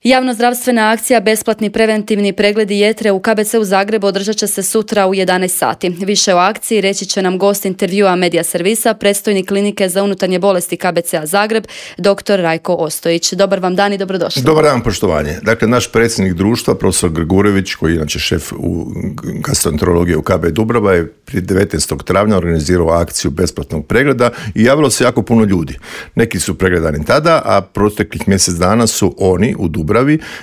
Javnozdravstvena akcija Besplatni preventivni pregledi jetre u KBC-u Zagrebu održat će se sutra u 11 sati. Više o akciji reći će nam gost intervjua Medija servisa, predstojnik klinike za unutarnje bolesti KBC-a Zagreb, dr. Rajko Ostojić. Dobar vam dan i dobrodošli. Dobar dan, poštovanje. Dakle, naš predsjednik društva, profesor Gregurević, koji je inače šef u gastroenterologije u KB Dubrava, je prije 19. travnja organizirao akciju besplatnog pregleda i javilo se jako puno ljudi. Neki su pregledani tada, a proteklih mjesec dana su oni u Dubravi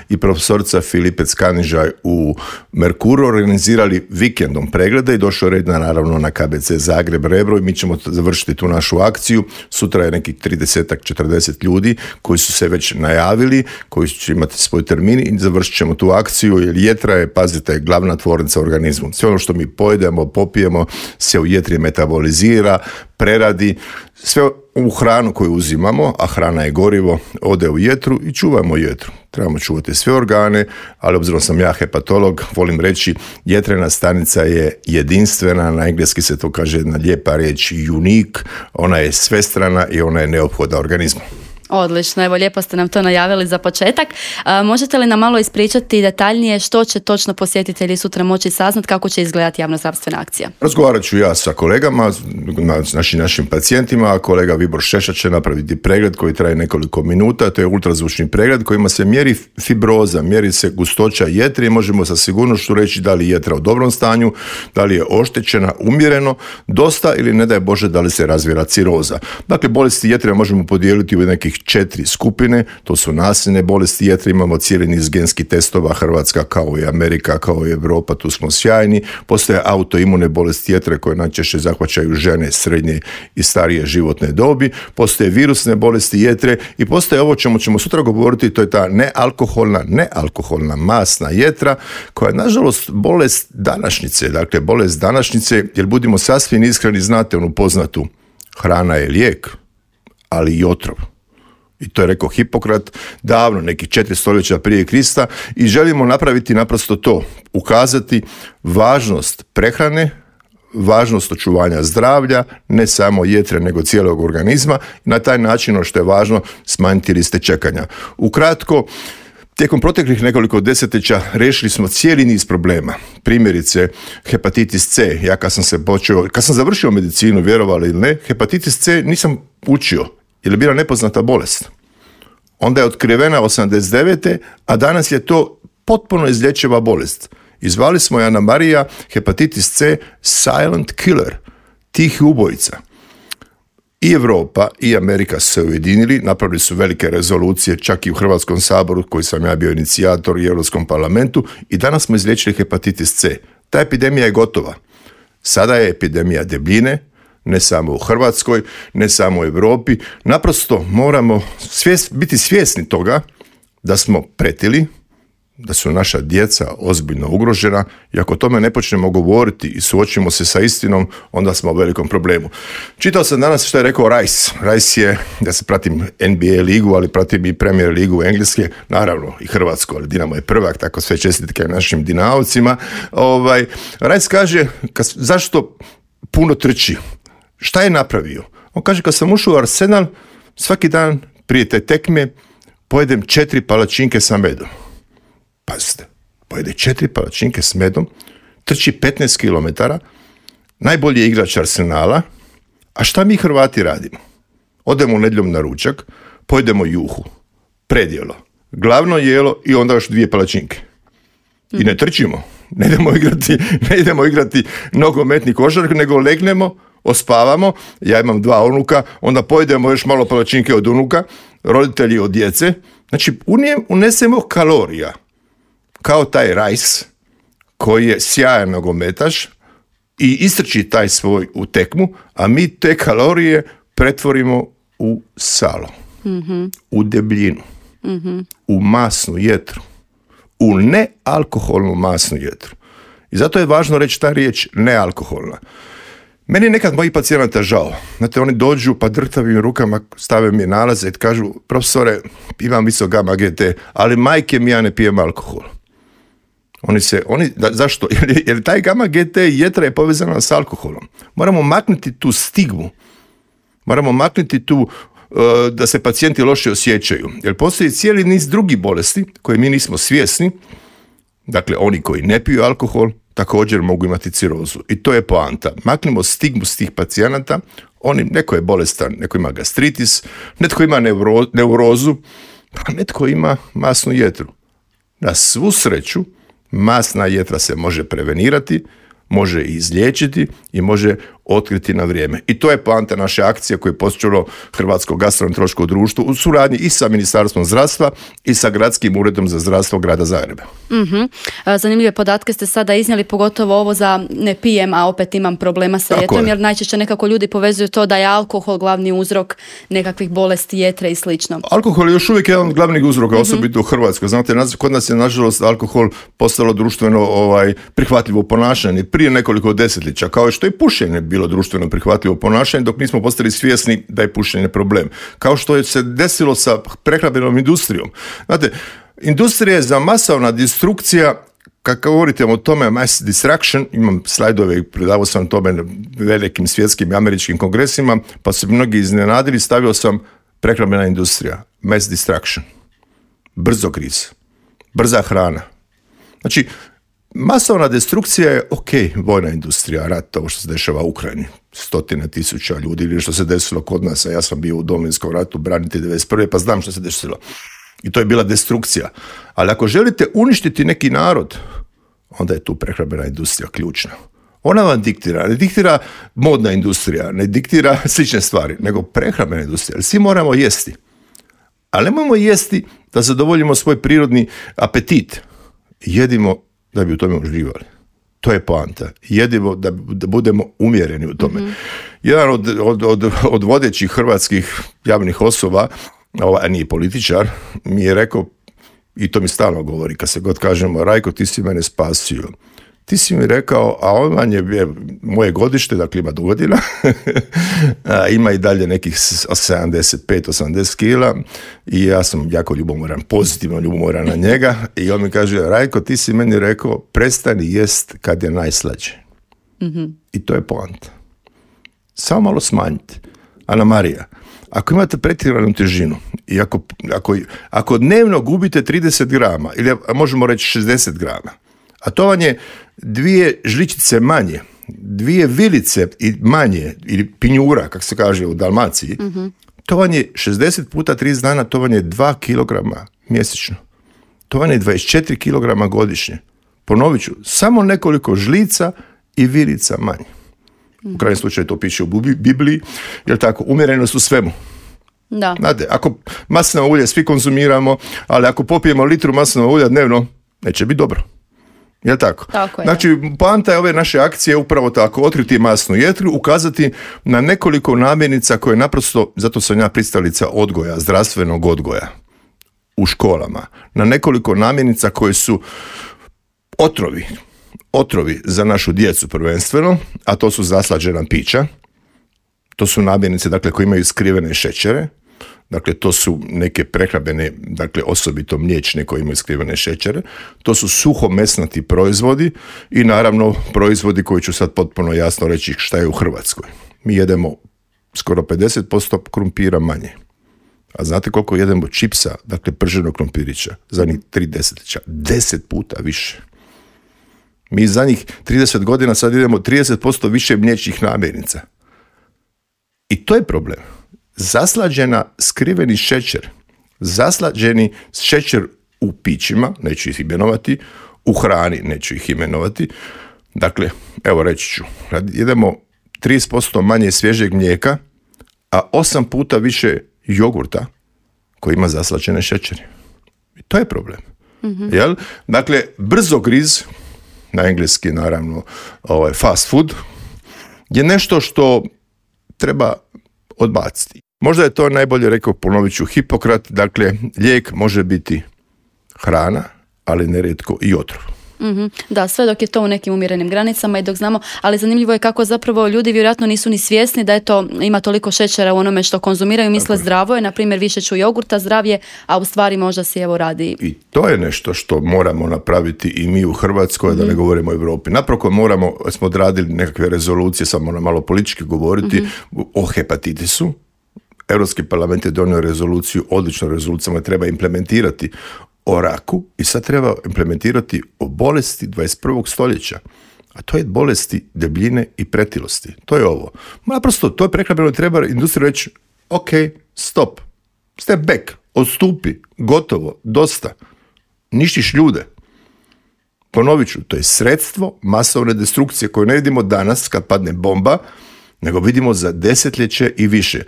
i profesorica Filipec Kanižaj u Merkuru organizirali vikendom preglede i došao red naravno na KBC Zagreb Rebro i mi ćemo završiti tu našu akciju. Sutra je nekih 30-40 ljudi koji su se već najavili, koji će imati svoj termin i završit ćemo tu akciju jer jetra je, pazite, glavna tvornica organizmu. Sve ono što mi pojedemo, popijemo se u jetri metabolizira, preradi, sve u hranu koju uzimamo, a hrana je gorivo, ode u jetru i čuvamo jetru. Trebamo čuvati sve organe, ali obzirom sam ja hepatolog, volim reći jetrena stanica je jedinstvena, na engleski se to kaže jedna lijepa riječ unique, ona je svestrana i ona je neophodna organizmu. Odlično, evo lijepo ste nam to najavili za početak. Možete li nam malo ispričati detaljnije što će točno posjetitelji sutra moći saznati, kako će izgledati javnozdravstvena akcija? Razgovarat ću ja sa kolegama, našim pacijentima, a kolega Vibor Šeša će napraviti pregled koji traje nekoliko minuta, to je ultrazvučni pregled kojima se mjeri fibroza, mjeri se gustoća jetre i možemo sa sigurnošću reći da li je jetra u dobrom stanju, da li je oštećena umjereno, dosta ili ne daj Bože da li se razvila ciroza. Dakle, bolesti jetre možemo podijeliti u nekih 4 skupine, to su nasljedne bolesti jetre, imamo cijeli niz genskih testova, Hrvatska kao i Amerika, kao i Europa, tu smo sjajni. Postoje autoimune bolesti jetre koje najčešće zahvaćaju žene srednje i starije životne dobi, postoje virusne bolesti jetre i postoje ovo čemu ćemo sutra govoriti, to je ta nealkoholna masna jetra koja je nažalost bolest današnjice, dakle bolest današnjice, jer budimo sasvim iskreni, znate onu poznatu, hrana je lijek, ali i otrov. I to je rekao Hipokrat davno, nekih 4 stoljeća prije Krista i želimo napraviti naprosto to, ukazati važnost prehrane, važnost očuvanja zdravlja, ne samo jetre nego cijelog organizma i na taj način, što je važno, smanjiti liste čekanja. Ukratko, tijekom proteklih nekoliko desetljeća riješili smo cijeli niz problema. Primjerice, hepatitis C. Ja kad sam završio medicinu, vjerovali ili ne, hepatitis C nisam učio jer je bila nepoznata bolest. Onda je otkrivena 89. a danas je to potpuno izlječiva bolest. I zvali smo je Anamarija hepatitis C silent killer, tihi ubojica. I Europa i Amerika su se ujedinili, napravili su velike rezolucije, čak i u Hrvatskom saboru, koji sam ja bio inicijator, i Europskom parlamentu, i danas smo izliječili hepatitis C. Ta epidemija je gotova. Sada je epidemija debljine, ne samo u Hrvatskoj, ne samo u Europi. Naprosto moramo biti svjesni toga da smo pretili, da su naša djeca ozbiljno ugrožena i ako o tome ne počnemo govoriti i suočimo se sa istinom, onda smo u velikom problemu. Čitao sam danas što je rekao Rice. Rice je, ja se pratim NBA ligu, ali pratim i Premier ligu engleske, naravno i Hrvatsku, ali Dinamo je prvak, tako sve čestitke našim Dinavcima. Rice kaže, zašto puno trči? Šta je napravio? On kaže, kad sam ušao u Arsenal, svaki dan prije te tekme pojedem 4 palačinke sa medom. Pazite, pojede 4 palačinke s medom, trči 15 km, najbolji je igrač Arsenala, a šta mi Hrvati radimo? Odemo nedjeljom na ručak, pojedemo juhu, predjelo, glavno jelo i onda još 2 palačinke. I ne trčimo, ne idemo igrati nogometni košark, nego legnemo, ospavamo, ja imam 2 unuka, onda pojedemo još malo palačinke od unuka, roditelji od djece, znači unesemo kalorija, kao taj Rice koji je sjajan nogometaš i istrči taj svoj u tekmu, a mi te kalorije pretvorimo u salo, u debljinu, u masnu jetru, u nealkoholnu masnu jetru. I zato je važno reći ta riječ nealkoholna. Meni je nekad mojih pacijenata žao. Znate, oni dođu pa drhtavim rukama stave mi nalaze i kažu, profesore, imam visok gamma GT, ali majke mi, ja ne pijem alkohol. Zašto? Jer taj gamma GT jetra je povezana s alkoholom. Moramo maknuti tu stigmu. Moramo maknuti tu da se pacijenti loše osjećaju. Jer postoji cijeli niz drugih bolesti koje mi nismo svjesni. Dakle, oni koji ne piju alkohol također mogu imati cirozu. I to je poanta. Maknimo stigmu s tih pacijenata. Neko je bolestan, neko ima gastritis, netko ima neurozu, pa netko ima masnu jetru. Na svu sreću, masna jetra se može prevenirati, može izliječiti i može otkriti na vrijeme. I to je poanta naše akcije koje je počelo Hrvatsko gastroenterološko društvo u suradnji i sa Ministarstvom zdravstva i sa Gradskim uredom za zdravstvo grada Zagreba. Zanimljive podatke ste sada iznijeli, pogotovo ovo za ne pijem, a opet imam problema sa jetrom, jer najčešće nekako ljudi povezuju to da je alkohol glavni uzrok nekakvih bolesti jetre i slično. Alkohol je još uvijek jedan od glavnih uzroka, osobito u Hrvatskoj. Znate, kod nas je nažalost alkohol postalo društveno prihvatljivo ponašanje prije nekoliko desetljeća, kao što je pušenje bilo društveno prihvatljivo ponašanje, dok nismo postali svjesni da je pušenje problem. Kao što je se desilo sa prehrambenom industrijom. Znate, industrija je za masovna destrukcija, kako govorite o tome, mass destruction, imam slajdove i predavao sam tome na velikim svjetskim i američkim kongresima, pa su mnogi iznenadili, stavio sam prehrambena industrija, mass destruction, brzogriz, brza hrana. Znači, masovna destrukcija je vojna industrija, rat, ovo što se dešava u Ukrajini, 100.000 ljudi, ili što se desilo kod nas, a ja sam bio u Domovinskom ratu, branitelj 91. pa znam što se desilo. I to je bila destrukcija. Ali ako želite uništiti neki narod, onda je tu prehrambena industrija ključna. Ona vam diktira, ne diktira modna industrija, ne diktira slične stvari, nego prehrambena industrija. Svi moramo jesti. Ali nemojmo jesti da zadovoljimo svoj prirodni apetit. Jedimo da bi u tome uživali. To je poanta. Jedimo da budemo umjereni u tome. Jedan od vodećih hrvatskih javnih osoba, a nije političar, mi je rekao, i to mi stalno govori, kad se god kažemo, Rajko, ti si mene spasio. Ti si mi rekao, a on je moje godište, dakle ima godina, ima i dalje nekih 75-80 kila i ja sam jako ljubomoran, pozitivno ljubomoran na njega i on mi kaže, Rajko, ti si meni rekao, prestani jest kad je najslađe. I to je poanta. Samo malo smanjite. Ana Marija, ako imate pretjeranu težinu i ako dnevno gubite 30 grama, ili možemo reći 60 grama, a to vam je 2 žličice manje, 2 vilice i manje, ili pinjura, kako se kaže u Dalmaciji, to vam je 60 puta 30 dana, to vam je 2 kilograma mjesečno. To vam je 24 kilograma godišnje. Ponovit ću, samo nekoliko žlica i vilica manje. U krajnjem slučaju to piše u Bibliji, jer tako, umjerenost u svemu. Da. Znate, ako maslinovo ulje svi konzumiramo, ali ako popijemo litru maslinovog ulja dnevno, neće biti dobro. Jel' tako? Tako je. Znači, poanta je ove naše akcije upravo tako, otkriti masnu jetru, ukazati na nekoliko namirnica koje naprosto, zato sam ja pristalica odgoja, zdravstvenog odgoja u školama, na nekoliko namirnica koje su otrovi za našu djecu prvenstveno, a to su zaslađena pića, to su namirnice, dakle, koje imaju skrivene šećere, dakle, to su neke prehrambene, dakle, osobito mliječne koje imaju skrivene šećere, to su suhomesnati proizvodi i naravno proizvodi koji ću sad potpuno jasno reći šta je u Hrvatskoj. Mi jedemo skoro 50% krumpira manje. A znate koliko jedemo čipsa, dakle, prženog krumpirića, zadnjih 3 desetljeća? 10 puta više. Mi zadnjih 30 godina sad idemo 30% više mliječnih namirnica. I to je problem. Zaslađena skriveni šećer, zaslađeni šećer u pićima, neću ih imenovati, u hrani neću ih imenovati. Dakle, evo reći ću, jedemo 30% manje svježeg mlijeka, a 8 puta više jogurta koji ima zaslađene šećere. I to je problem. Jel? Dakle, brzogriz, na engleski naravno fast food, je nešto što treba odbaciti. Možda je to najbolje rekao, ponovit ću, Hipokrat, dakle, lijek može biti hrana, ali nerijetko i otrov. Da, sve dok je to u nekim umjerenim granicama i dok znamo, ali zanimljivo je kako zapravo ljudi vjerojatno nisu ni svjesni da ima toliko šećera u onome što konzumiraju, misle zdravo je, na primjer više ću jogurta, zdravije, a u stvari možda si radi. I to je nešto što moramo napraviti i mi u Hrvatskoj, da ne govorimo o Europi. Napravo smo odradili nekakve rezolucije, sad moram malo politički govoriti, o hepatitisu. Europski parlament je donio rezoluciju, odličnu rezoluciju, treba implementirati o raku i sad treba implementirati o bolesti 21. stoljeća. A to je bolesti debljine i pretilosti. To je ovo. Naprosto, to je prehrambeno, treba industriju reći, ok, stop, step back, odstupi, gotovo, dosta. Ništiš ljude. Ponovit ću, to je sredstvo masovne destrukcije koju ne vidimo danas kad padne bomba, nego vidimo za desetljeće i više.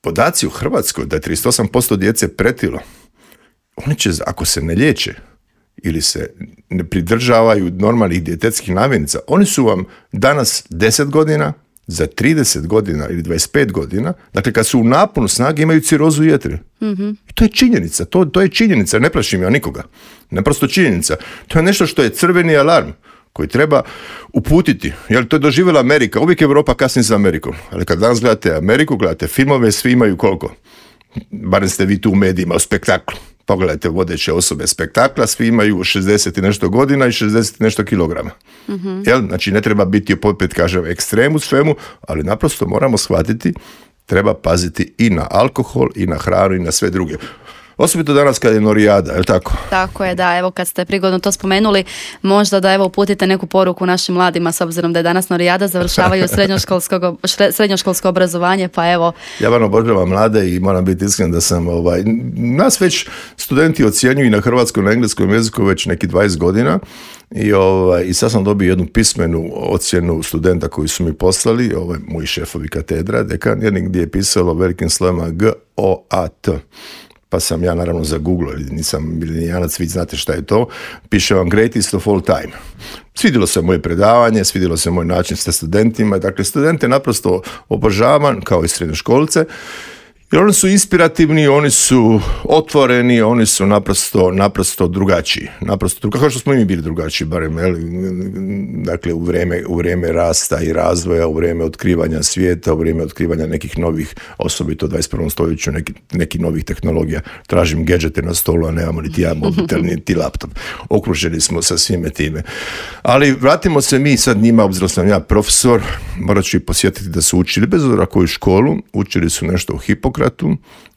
Podaci u Hrvatskoj da je 38% djece pretilo, oni će, ako se ne liječe ili se ne pridržavaju normalnih dijetetskih namirnica, oni su vam danas 10 godina, za 30 godina ili 25 godina, dakle kad su u naponu snage imaju cirozu jetre. Mm-hmm. I to je činjenica, to je činjenica, ne plašim ja nikoga. Naprosto činjenica. To je nešto što je crveni alarm koji treba uputiti. Jer to je doživjela Amerika, uvijek Europa kasni za Amerikom. Ali kad danas gledate Ameriku, gledate filmove, svi imaju koliko? Barem ste vi tu u medijima, u spektaklu. Pogledajte vodeće osobe spektakla, svi imaju 60 i nešto godina i 60 i nešto kilograma. Mm-hmm. Jel? Znači ne treba biti opet, kažem, ekstrem u svemu, ali naprosto moramo shvatiti, treba paziti i na alkohol, i na hranu, i na sve druge. Osobito danas kad je Norijada, je li tako? Tako je, da, evo kad ste prigodno to spomenuli, možda da evo uputite neku poruku našim mladima, s obzirom da je danas Norijada, završavaju srednjoškolsko obrazovanje, pa evo. Ja vam obožavam mlade i moram biti iskren da sam, nas već studenti ocjenjuju i na hrvatskom i na engleskom jeziku već neki 20 godina i sad sam dobio jednu pismenu ocjenu studenta koji su mi poslali, moji šefovi katedra, dekan, jednik gdje je pisalo velikim slovima GOAT. Pa sam ja naravno za Google, nisam milenijanac, vi znate šta je to, piše vam greatest of all time. Svidjelo se moje predavanje, svidjelo se moj način sa studentima, dakle studente naprosto obožavam kao i srednjoškolce, jer oni su inspirativni, oni su otvoreni, oni su naprosto drugačiji. Kao što smo i mi bili drugačiji, barem, dakle u vrijeme rasta i razvoja, u vrijeme otkrivanja svijeta, u vrijeme otkrivanja nekih novih, osobito u 21. stoljeću, nekih novih tehnologija. Tražim gadgete na stolu, a nemamo niti ja mobitel, niti laptop. Okruženi smo sa svime time. Ali vratimo se mi sad njima, obzirom sam ja profesor, morat ću i posjetiti da su učili, bez obzira koju školu, učili su nešto u Hipokratu,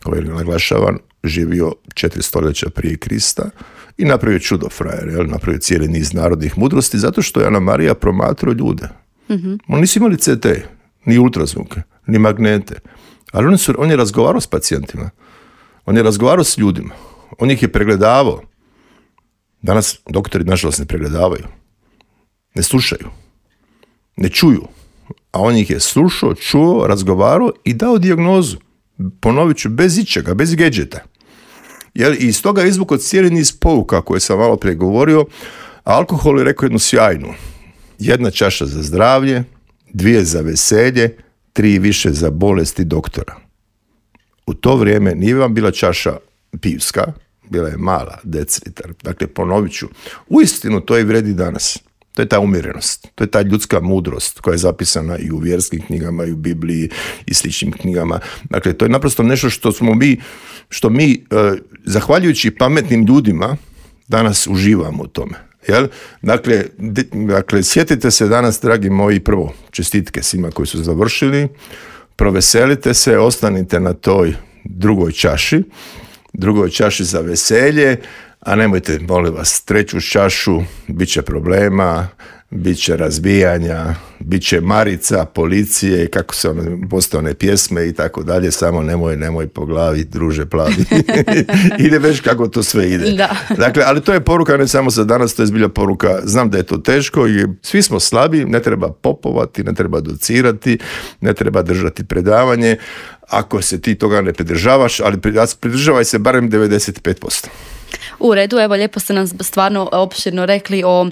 koji je naglašavan, živio 4 stoljeća prije Krista i napravio čudo frajer, napravio cijeli niz narodnih mudrosti, zato što je Ana Marija promatrao ljude. Mm-hmm. Oni nisu imali CT, ni ultrazvuke, ni magnete, ali on je razgovarao s pacijentima, on je razgovarao s ljudima, on ih je pregledavao. Danas doktori nažalost ne pregledavaju, ne slušaju, ne čuju, a on ih je slušao, čuo, razgovarao i dao dijagnozu. Ponovit ću, bez ičega, bez gadgeta. I iz toga je izvukao cijeli niz pouka koje sam malo prije govorio, a alkohol je rekao jednu sjajnu. 1 čaša za zdravlje, 2 za veselje, 3 više za bolesti doktora. U to vrijeme nije vam bila čaša pivska, bila je mala, decilitar. Dakle, ponovit ću, uistinu to i vredi danas. To je ta umjerenost, to je ta ljudska mudrost koja je zapisana i u vjerskim knjigama, i u Bibliji, i sličnim knjigama. Dakle, to je naprosto nešto što mi zahvaljujući pametnim ljudima, danas uživamo u tome. Jel? Dakle, sjetite se danas, dragi moji, prvo, čestitke svima koji su završili, proveselite se, ostanite na toj drugoj čaši za veselje, a nemojte, molim vas, 3. čašu, bit će problema, bit će razbijanja, bit će marica, policije, kako se postoje one pjesme i tako dalje, samo nemoj po glavi, druže plavi. Ide već kako to sve ide. Da. Dakle, ali to je poruka ne samo za danas, to je zbilja poruka, znam da je to teško i svi smo slabi, ne treba popovati, ne treba docirati, ne treba držati predavanje, ako se ti toga ne pridržavaš, ali pridržavaj se barem 95%. U redu, evo lijepo ste nam stvarno opširno rekli o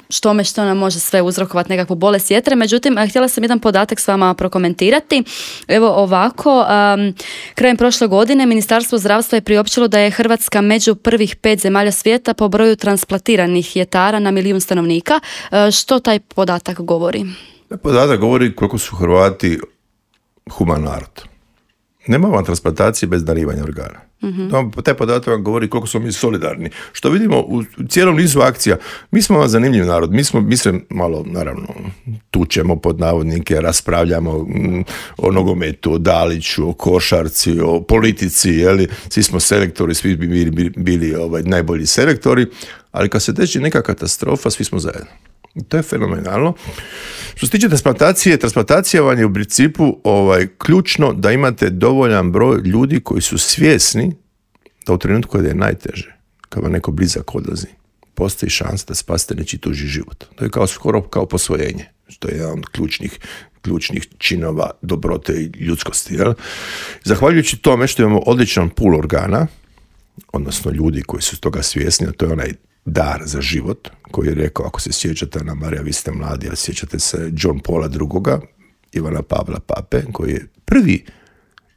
što nam može sve uzrokovati nekakvu bolest jetre, međutim htjela sam jedan podatak s vama prokomentirati. Evo ovako, krajem prošle godine Ministarstvo zdravstva je priopćilo da je Hrvatska među prvih 5 zemalja svijeta po broju transplantiranih jetara na 1 milijun stanovnika. Što taj podatak govori? Podatak govori koliko su Hrvati human narod. Nema vam transplantacije bez darivanja organa. Taj podatak vam govori koliko smo mi solidarni. Što vidimo u cijelom nizu akcija, mi smo vam zanimljiv narod, mi se malo, naravno, tučemo pod navodnike, raspravljamo o nogometu, o Daliću, o košarci, o politici, jeli? Svi smo selektori, svi bi bili najbolji selektori, ali kad se desi neka katastrofa, svi smo zajedno. To je fenomenalno. Što se tiče transplantacija vam je u principu ključno da imate dovoljan broj ljudi koji su svjesni da u trenutku kada je najteže, kad vam neko blizak odlazi, postoji šansa da spasite nečiji tuđi život. To je skoro kao posvojenje. To je jedan od ključnih činova dobrote i ljudskosti. Jel? Zahvaljujući tome što imamo odličan pool organa, odnosno ljudi koji su toga svjesni, a to je onaj dar za život, koji je rekao, ako se sjećate, Ana Marija, vi ste mladi, a sjećate se John Paula II, Ivana Pavla Pape, koji je prvi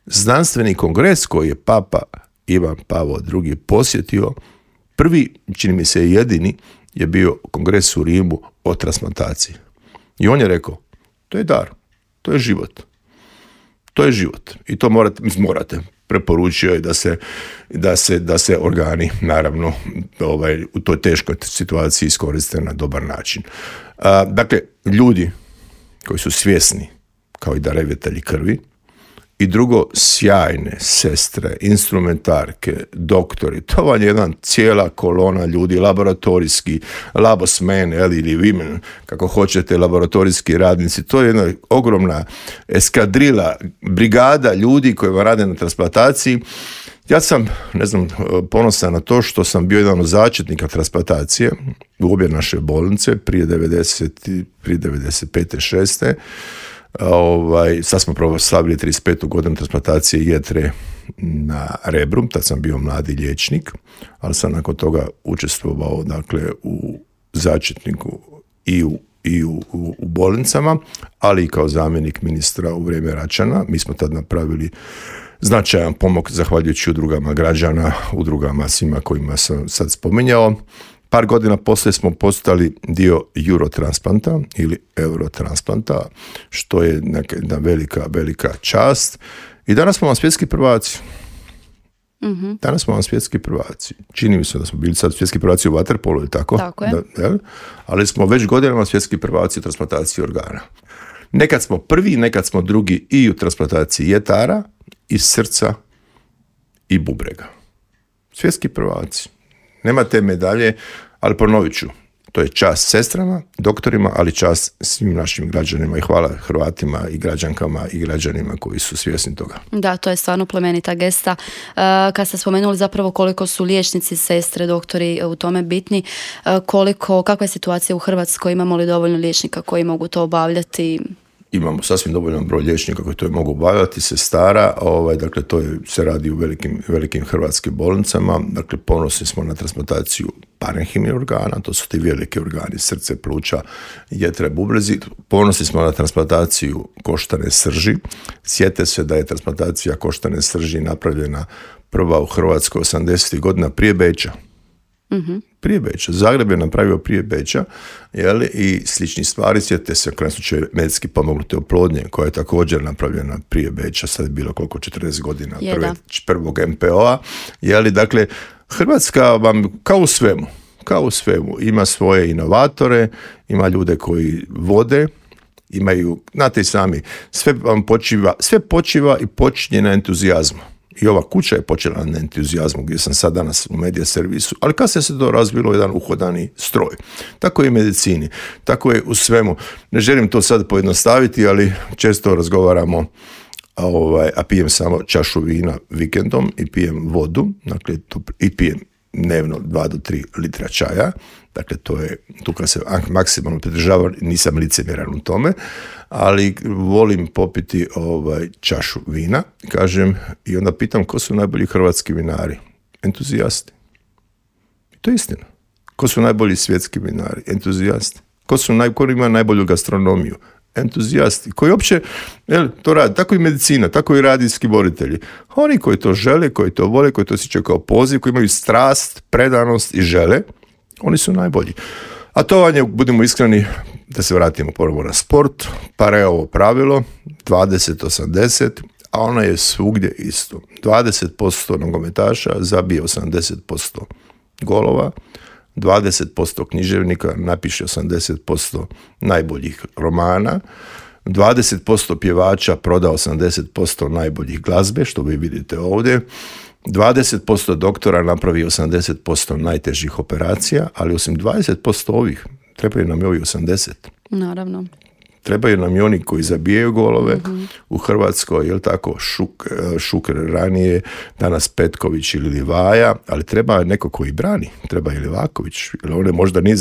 znanstveni kongres koji je Papa Ivan Pavao II posjetio, prvi, čini mi se jedini, je bio kongres u Rimu o transplantaciji. I on je rekao, to je dar, to je život. To je život. I to morate. Preporučio je da se organi, naravno, u toj teškoj situaciji iskoriste na dobar način. Dakle, ljudi koji su svjesni, kao i darivatelji krvi, i drugo, sjajne sestre, instrumentarke, doktori, to vam je jedna cijela kolona ljudi, laboratorijski, labosmen, ili women, kako hoćete, laboratorijski radnici, to je jedna ogromna eskadrila, brigada ljudi koji vam rade na transplantaciji. Ja sam, ponosan na to što sam bio jedan od začetnika transplantacije u obje naše bolnice prije 95. 6. Sad smo proslavili 35. godinu transplantacije jetre na Rebru, tad sam bio mladi liječnik, ali sam nakon toga učestvovao u začetniku i u bolnicama, ali i kao zamjenik ministra u vrijeme Račana. Mi smo tad napravili značajan pomak zahvaljujući udrugama građana, udrugama svima kojima sam sad spominjao. Par godina poslije smo postali dio Eurotransplanta ili Eurotransplanta, što je jedna velika čast. I danas smo vam svjetski prvaci. Danas smo vam svjetski prvaci. Čini mi se da smo bili sad svjetski prvaci u vaterpolu, ili tako? Tako je. Ali smo već godinama svjetski prvaci u transplantaciji organa. Nekad smo prvi, nekad smo drugi i u transplantaciji jetara, i srca, i bubrega. Svjetski prvaci. Nema te medalje, ali ponovit ću, to je čast sestrama, doktorima, ali čast svim našim građanima i hvala Hrvatima i građankama i građanima koji su svjesni toga. Da, to je stvarno plemenita gesta. Kad ste spomenuli zapravo koliko su liječnici, sestre, doktori u tome bitni, kakva je situacija u Hrvatskoj, imamo li dovoljno liječnika koji mogu to obavljati? Imamo sasvim dovoljan broj liječnika koji to mogu obavljati, sestara, dakle to se radi u velikim hrvatskim bolnicama, dakle ponosni smo na transplantaciju parenhimnih organa, to su ti veliki organi, srce, pluća, jetre, bubrezi, ponosni smo na transplantaciju koštane srži, sjete se da je transplantacija koštane srži napravljena prva u Hrvatskoj 80. godina prije Beča. Prije Beča. Zagreb je napravio prije Beča, i slični stvari. Sjetite se u slučaju medicinski pomognute oplodnje, koja je također napravljena prije Beča, sad je bilo koliko 40 godina prvog MPO-a. Dakle, Hrvatska vam kao u svemu ima svoje inovatore, ima ljude koji vode, imaju, znate i sami, sve počiva i počinje na entuzijazmu. I ova kuća je počela na entuzijazmu gdje sam sad danas u medija servisu, ali kasnije se to razvilo jedan uhodani stroj. Tako je i u medicini, tako je u svemu. Ne želim to sad pojednostaviti, ali često razgovaramo, a pijem samo čašu vina vikendom i pijem vodu, dakle, i pijem dnevno 2 do 3 litra čaja. Dakle, to je, tu kad se maksimalno pridržavam, nisam licemjeran u tome, ali volim popiti čašu vina, kažem, i onda pitam ko su najbolji hrvatski vinari? Entuzijasti. To je istina. Ko su najbolji svjetski vinari? Entuzijasti. Ko ima najbolju gastronomiju? Entuzijasti. Koji uopće to radi. Tako i medicina, tako i radijski voditelji. Oni koji to žele, koji to vole, koji to osjećaju kao poziv, koji imaju strast, predanost i žele, oni su najbolji. A to vam je, budemo iskreni, da se vratimo ponovo na sport, pa je ovo pravilo 20-80, a ona je svugdje isto. 20% nogometaša zabije 80% golova, 20% književnika napiše 80% najboljih romana, 20% pjevača proda 80% najboljih glazbe, što vi vidite ovdje, 20% doktora napravi 80% najtežih operacija, ali osim 20% ovih, trebaju nam i ovi 80%. Naravno. Trebaju nam i oni koji zabijaju golove u Hrvatskoj, jel tako, Šuker ranije, danas Petković ili Livaja, ali treba neko koji brani, treba i Livaković, jer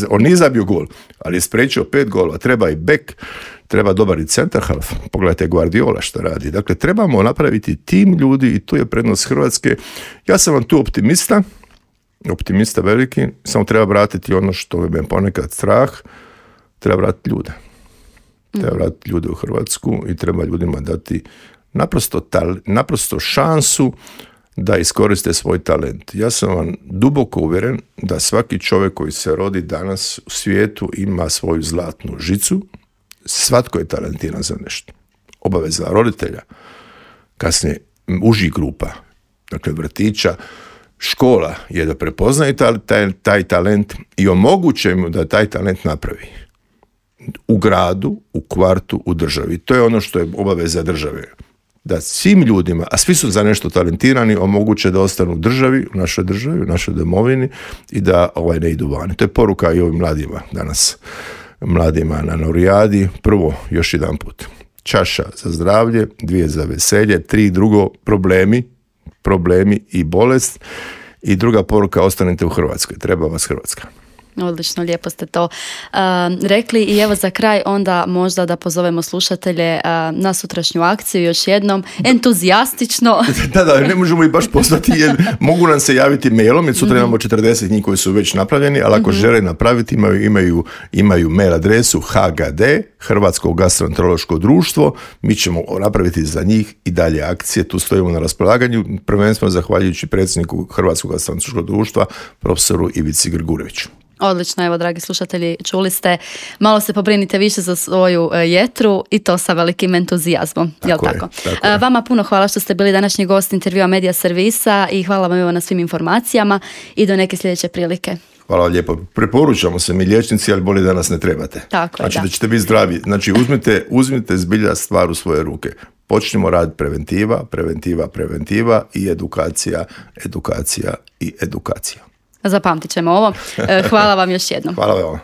on nije zabio gol, ali je spriječio 5 golova, treba i bek, treba dobar i centar half, pogledajte Guardiola što radi. Dakle, trebamo napraviti tim ljudi i tu je prednost Hrvatske. Ja sam vam tu optimista veliki, samo treba vratiti ono što me ponekad strah, treba vratiti ljude. Treba vratiti ljude u Hrvatsku i treba ljudima dati naprosto šansu da iskoriste svoj talent. Ja sam vam duboko uvjeren da svaki čovjek koji se rodi danas u svijetu ima svoju zlatnu žicu. Svatko je talentiran za nešto. Obaveza roditelja, kasnije užih grupa, dakle vrtića, škola je da prepoznaje taj talent i omoguće mu da taj talent napravi. U gradu, u kvartu, u državi. To je ono što je obaveza države. Da svim ljudima, a svi su za nešto talentirani, omoguće da ostanu u državi, u našoj domovini i da ne idu vani. To je poruka i ovim mladima danas. Mladima na Norijadi. Prvo, još jedan put. Čaša za zdravlje, 2 za veselje, 3 drugo problemi i bolest. I druga poruka, ostanite u Hrvatskoj. Treba vas Hrvatska. Odlično, lijepo ste to rekli i evo za kraj onda možda da pozovemo slušatelje na sutrašnju akciju još jednom, entuzijastično. Da, ne možemo ih baš pozvati jer mogu nam se javiti mailom jer sutra imamo 40 njih koji su već napravljeni, ali ako žele napraviti imaju mail adresu HGD, Hrvatsko gastroenterološko društvo, mi ćemo napraviti za njih i dalje akcije, tu stojimo na raspolaganju, prvenstveno zahvaljujući predsjedniku Hrvatskog gastroenterološkog društva, profesoru Ivici Grgureviću. Odlično, evo dragi slušatelji, čuli ste, malo se pobrinite više za svoju jetru i to sa velikim entuzijazmom, jel tako? Vama puno hvala što ste bili današnji gost intervjua Medija Servisa i hvala vam na svim informacijama i do neke sljedeće prilike. Hvala vam lijepo. Preporučamo se mi liječnici, ali bolje da nas ne trebate. Tako je, da ćete biti zdravi. Znači uzmite zbilja stvar u svoje ruke. Počnimo raditi preventiva i edukacija. Zapamtit ćemo ovo. Hvala vam još jednom. Hvala vam.